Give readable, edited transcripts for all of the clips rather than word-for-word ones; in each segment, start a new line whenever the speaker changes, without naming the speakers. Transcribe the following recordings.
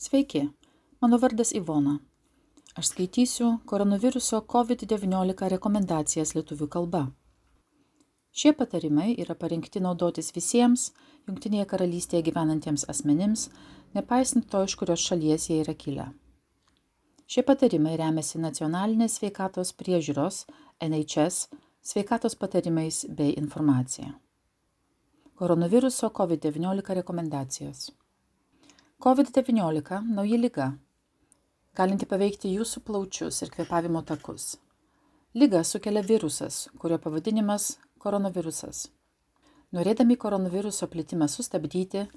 Sveiki, mano vardas Ivona. Aš skaitysiu koronaviruso COVID-19 rekomendacijas lietuvių kalba. Šie patarimai yra parengti naudotis visiems Jungtinėje karalystėje gyvenantiems asmenims, nepaisant to, iš kurios šalies jie yra kilę. Šie patarimai remiasi nacionalinės sveikatos priežiūros NHS sveikatos patarimais bei informacija. Koronaviruso COVID-19 rekomendacijos. COVID-19 – nauja liga, galinti paveikti jūsų plaučius ir kvėpavimo takus. Ligą sukelia virusas, kurio pavadinimas koronavirusas. Norėdami koronaviruso plitimą sustabdyti,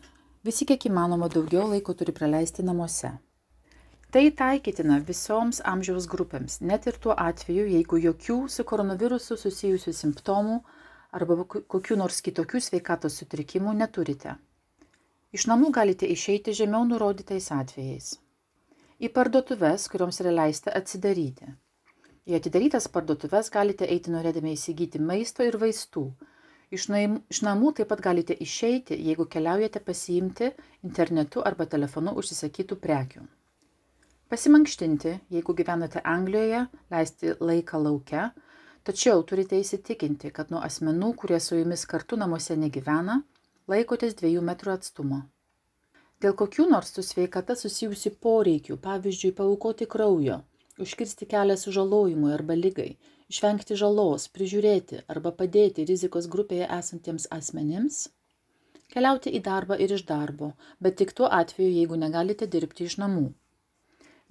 visi kiek įmanoma daugiau laiko turi praleisti namuose. Tai taikytina visoms amžiaus grupėms, net ir tuo atveju, jeigu jokių su koronavirusu susijusių simptomų arba kokių nors kitokių sveikatos sutrikimų neturite. Iš namų galite išeiti žemiau nurodytais atvejais. Į parduotuves, kurioms yra leista atsidaryti. Į atidarytas parduotuves galite eiti norėdami įsigyti maisto ir vaistų. Iš namų taip pat galite išeiti, jeigu keliaujate pasiimti internetu arba telefonu užsisakytų prekių. Pasimankštinti, jeigu gyvenate Anglijoje, leisti laiką lauke, tačiau turite įsitikinti, kad nuo asmenų, kurie su jumis kartu namuose negyvena, laikotės 2 metrų atstumo. Dėl kokių nors su sveikata susijusių poreikių, pavyzdžiui, paaukoti kraujo, užkirsti kelią sužalojimui arba ligai, išvengti žalos, prižiūrėti arba padėti rizikos grupėje esantiems asmenims, keliauti į darbą ir iš darbo, bet tik tuo atveju, jeigu negalite dirbti iš namų.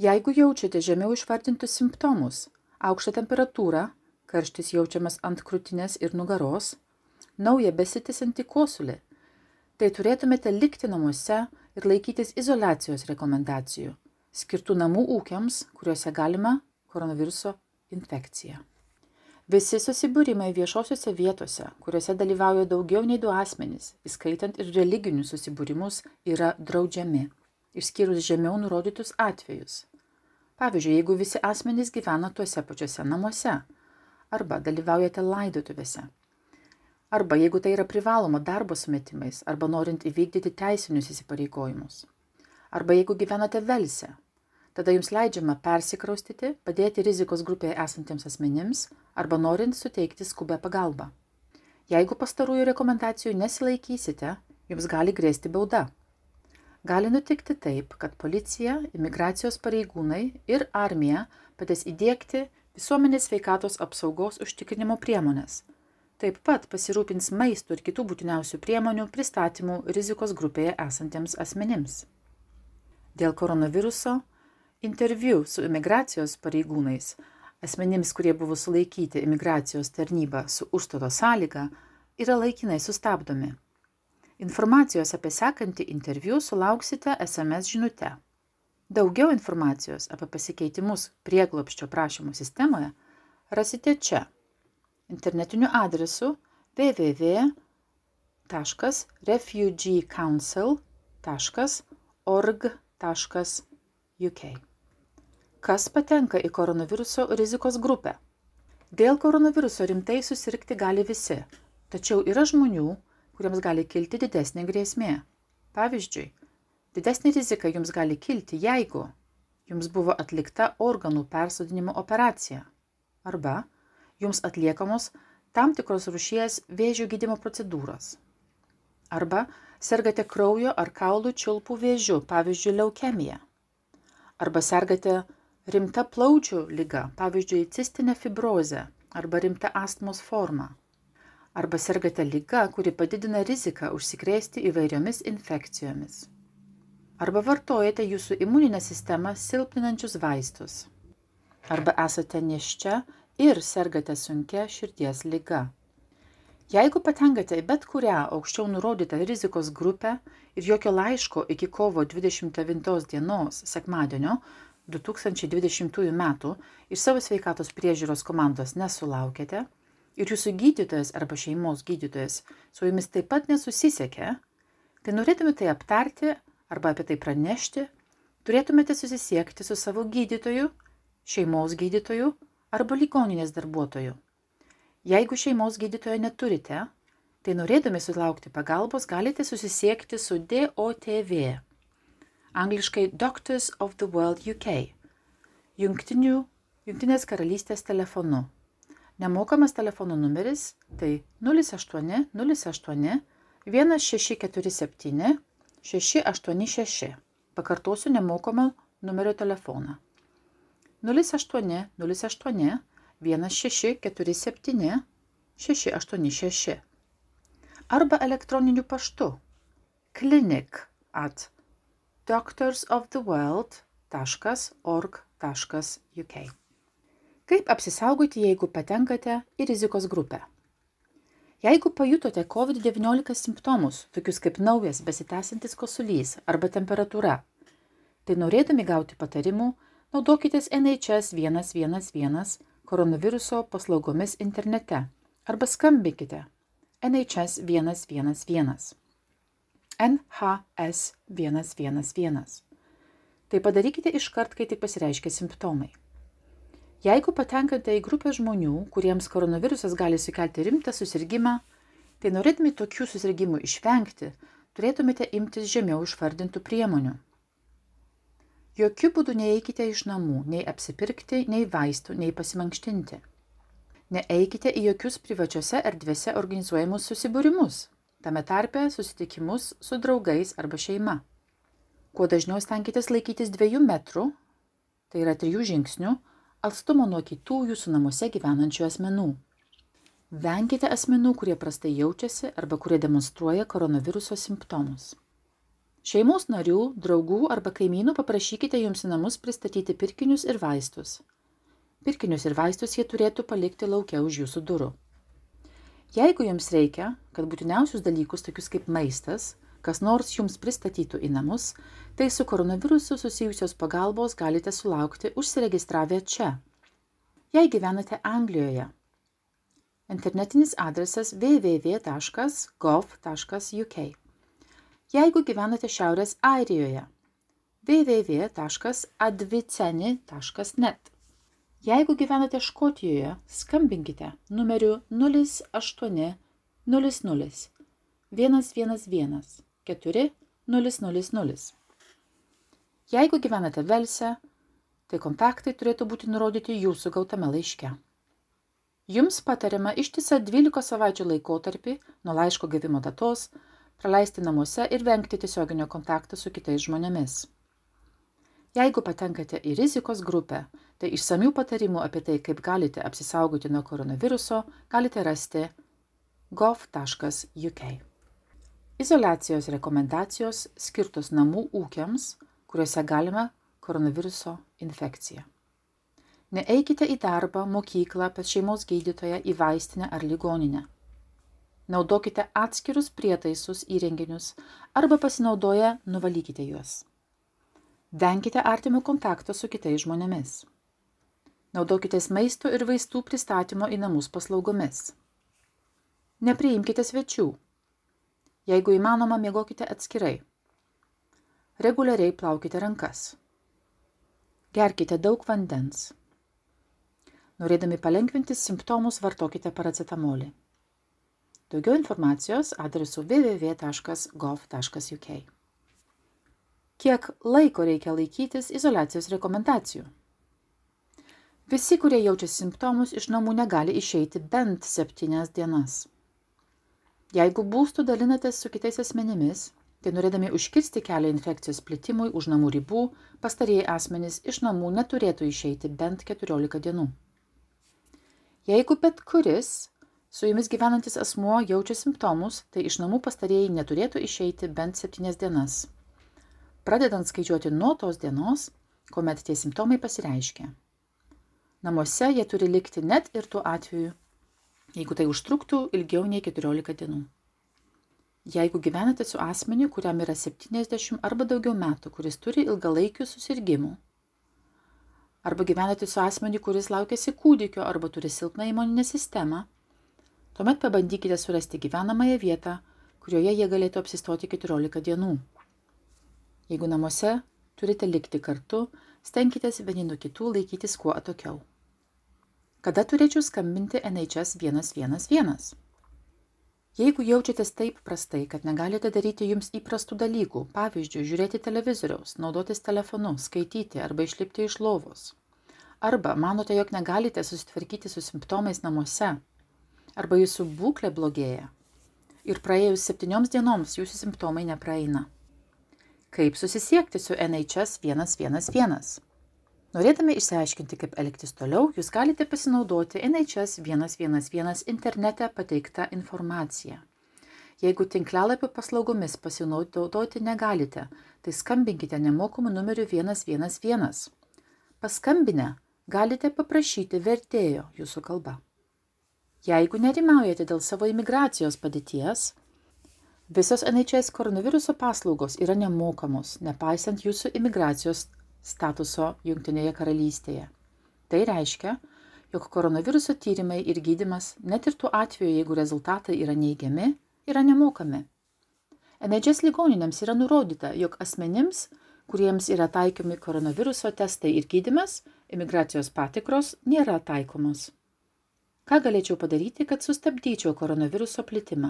Jeigu jaučiate žemiau išvardintus simptomus, aukštą temperatūrą, karštis jaučiamas ant krūtinės ir nugaros, naują besitęsiantį kosulį, tai turėtumėte likti namuose ir laikytis izoliacijos rekomendacijų, skirtų namų ūkiams, kuriuose galima koronaviruso infekcija. Visi susibūrimai viešosiuose vietose, kuriuose dalyvauja daugiau nei 2 asmenys, įskaitant ir religinius susibūrimus, yra draudžiami, išskyrus žemiau nurodytus atvejus. Pavyzdžiui, jeigu visi asmenys gyvena tuose pačiuose namuose, arba dalyvaujate laidotuvėse, arba jeigu tai yra privaloma darbo sumetimais, arba norint įvykdyti teisinius įsipareigojimus, arba jeigu gyvenate Velse, tada jums leidžiama persikraustyti, padėti rizikos grupėje esantiems asmenims, arba norint suteikti skubę pagalbą. Jeigu pastarųjų rekomendacijų nesilaikysite, jums gali grėsti bauda. Gali nutikti taip, kad policija, imigracijos pareigūnai ir armija padės įdiegti visuomenės sveikatos apsaugos užtikrinimo priemonės. Taip pat pasirūpins maisto ir kitų būtiniausių priemonių pristatymų rizikos grupėje esantiems asmenims. Dėl koronaviruso interviu su imigracijos pareigūnais, asmenims, kurie buvo sulaikyti imigracijos tarnyba su užstato sąlyga, yra laikinai sustabdomi. Informacijos apie sekantį interviu sulauksite SMS žinute. Daugiau informacijos apie pasikeitimus prieglobsčio prašymų sistemoje rasite čia. Internetiniu adresu www.refugeecouncil.org.uk. Kas patenka į koronaviruso rizikos grupę? Dėl koronaviruso rimtai susirgti gali visi, tačiau yra žmonių, kuriems gali kilti didesnė grėsmė. Pavyzdžiui, didesnė rizika jums gali kilti, jeigu jums buvo atlikta organų persodinimo operacija arba jums atliekamos tam tikros rūšies vėžio gydymo procedūros. Arba sergate kraujo ar kaulų čiulpų vėžiu, pavyzdžiui, leukemija. Arba sergate rimta plaučių liga, pavyzdžiui, cistinė fibrozė arba rimta astmos forma. Arba sergate liga, kuri padidina riziką užsikrėsti įvairiomis infekcijomis. Arba vartojate jūsų imuninę sistemą silpninančius vaistus. Arba esate nėščia ir sergate sunkia širdies liga. Jeigu patenkate į bet kurią aukščiau nurodytą rizikos grupę ir jokio laiško iki kovo 29 dienos sekmadienio 2020 metų iš savo sveikatos priežiūros komandos nesulaukėte ir jūsų gydytojas arba šeimos gydytojas su jumis taip pat nesusisiekė, tai norėtumėte tai aptarti arba apie tai pranešti, turėtumėte susisiekti su savo gydytoju, šeimos gydytoju arba ligoninės darbuotoju. Jeigu šeimos gydytojo neturite, tai norėdami sulaukti pagalbos galite susisiekti su DOTV. angliškai Doctors of the World UK, Jungtinės karalystės telefonu. Nemokamas telefono numeris tai 08 08 1647 686. Pakartosiu nemokamą numerio telefoną. 08 08 1647 686. Arba elektroniniu paštu clinic@doctorsoftheworld.org.uk. Kaip apsisaugoti, jeigu patenkate į rizikos grupę? Jeigu pajutote COVID-19 simptomus, tokius kaip naujas besitęsiantis kosulys arba temperatūra, tai norėdami gauti patarimų, naudokitės NHS 111 koronaviruso paslaugomis internete arba skambinkite NHS 111. NHS 111. Tai padarykite iškart, kai tik pasireiškia simptomai. Jeigu patenkate į grupę žmonių, kuriems koronavirusas gali sukelti rimtą susirgimą, tai norėdami tokių susirgimų išvengti, turėtumėte imtis žemiau išvardintų priemonių. Jokiu būdu neeikite iš namų, nei apsipirkti, nei vaistų, nei pasimankštinti. Neeikite į jokius privačiose erdvėse organizuojamus susibūrimus, tame tarpe susitikimus su draugais arba šeima. Kuo dažniau stenkitės laikytis 2 metrų, tai yra 3 žingsnių, atstumo nuo kitų jūsų namuose gyvenančių asmenų. Venkite asmenų, kurie prastai jaučiasi arba kurie demonstruoja koronaviruso simptomus. Šeimos narių, draugų arba kaimynų paprašykite jums į namus pristatyti pirkinius ir vaistus. Pirkinius ir vaistus jie turėtų palikti lauke už jūsų durų. Jeigu jums reikia, kad būtiniausius dalykus, tokius kaip maistas, kas nors jums pristatytų į namus, tai su koronavirusu susijusios pagalbos galite sulaukti užsiregistravę čia. Jei gyvenate Anglijoje, internetinis adresas www.gov.uk. Jeigu gyvenate Šiaurės Airijoje, www.adviceni.net. Jeigu gyvenate Škotijoje, skambinkite numeriu 0800 111 4000. Jeigu gyvenate Velse, tai kontaktai turėtų būti nurodyti jūsų gautame laiške. Jums patariama ištisą 12 savaičių laikotarpį nuo laiško gavimo datos praleisti namuose ir vengti tiesioginio kontakto su kitais žmonėmis. Jeigu patenkate į rizikos grupę, tai išsamių patarimų apie tai, kaip galite apsisaugoti nuo koronaviruso, galite rasti gov.uk. Izoliacijos rekomendacijos skirtos namų ūkiams, kuriuose galima koronaviruso infekcija. Neeikite į darbą, mokyklą, pas šeimos gydytoją, į vaistinę ar ligoninę. Naudokite atskirus prietaisus įrenginius arba pasinaudoję nuvalykite juos. Venkite artimo kontakto su kitais žmonėmis. Naudokitės maisto ir vaistų pristatymo į namus paslaugomis. Nepriimkite svečių. Jeigu įmanoma, miegokite atskirai. Reguliariai plaukite rankas. Gerkite daug vandens. Norėdami palengvinti simptomus, vartokite paracetamolį. Daugiau informacijos adresu www.gov.uk. Kiek laiko reikia laikytis izoliacijos rekomendacijų? Visi, kurie jaučia simptomus, iš namų negali išeiti bent 7 dienas. Jeigu būstu dalinatės su kitais asmenimis, tai norėdami užkirsti kelią infekcijos plitimui už namų ribų, pastarieji asmenys iš namų neturėtų išeiti bent 14 dienų. Jeigu bet kuris su jumis gyvenantis asmuo jaučia simptomus, tai iš namų pastarieji neturėtų išeiti bent 7 dienas, pradedant skaičiuoti nuo tos dienos, kuomet tie simptomai pasireiškia. Namuose jie turi likti net ir tuo atveju, jeigu tai užtruktų ilgiau nei 14 dienų. Jeigu gyvenate su asmeniu, kuriam yra 70 arba daugiau metų, kuris turi ilgalaikių susirgimų, arba gyvenate su asmeniu, kuris laukiasi kūdikio arba turi silpną imuninę sistemą, tuomet pabandykite surasti gyvenamąją vietą, kurioje jie galėtų apsistoti 14 dienų. Jeigu namuose turite likti kartu, stenkitės vieni nuo kitų laikytis kuo atokiau. Kada turėčiau skambinti NHS 111? Jeigu jaučiatės taip prastai, kad negalite daryti jums įprastų dalykų, pavyzdžiui, žiūrėti televizoriaus, naudotis telefonu, skaityti arba išlipti iš lovos, arba manote, jog negalite susitvarkyti su simptomais namuose, arba jūsų būklė blogėja ir praėjus 7 dienoms jūsų simptomai nepraeina. Kaip susisiekti su NHS 111? Norėdami išsiaiškinti, kaip elgtis toliau, jūs galite pasinaudoti NHS 111 internete pateiktą informaciją. Jeigu tinklalapio paslaugomis pasinaudoti negalite, tai skambinkite nemokamu numeriu 111. Paskambinę galite paprašyti vertėjo jūsų kalba. Jeigu nerimaujate dėl savo imigracijos padėties, visos NHS koronaviruso paslaugos yra nemokamos, nepaisant jūsų imigracijos statuso Jungtinėje karalystėje. Tai reiškia, jog koronaviruso tyrimai ir gydymas, net ir tuo atveju, jeigu rezultatai yra neigiami, yra nemokami. NHS ligoninėms yra nurodyta, jog asmenims, kuriems yra taikomi koronaviruso testai ir gydymas, imigracijos patikros nėra taikomos. Ką galėčiau padaryti, kad sustabdyčiau koronaviruso plitimą?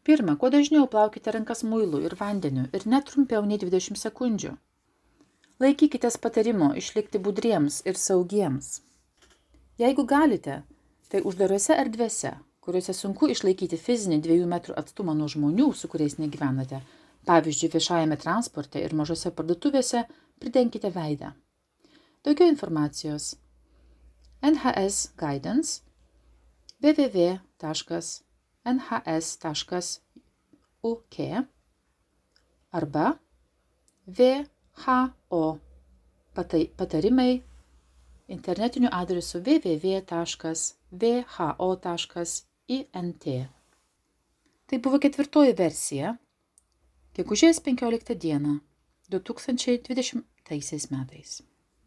Pirma, kuo dažniau plaukite rankas muilu ir vandeniu ir net trumpiau nei 20 sekundžių. Laikykitės patarimo išlikti budriems ir saugiems. Jeigu galite, tai uždarose erdvėse, kuriuose sunku išlaikyti fizinį 2 metrų atstumą nuo žmonių, su kuriais negyvenate, pavyzdžiui, viešajame transporte ir mažose parduotuvėse, pridenkite veidą. Daugiau informacijos NHS Guidance www.nhs.uk arba WHO patarimai internetiniu adresu www.who.int. Tai buvo 4 versija, gegužės 15 dieną 2020 metais.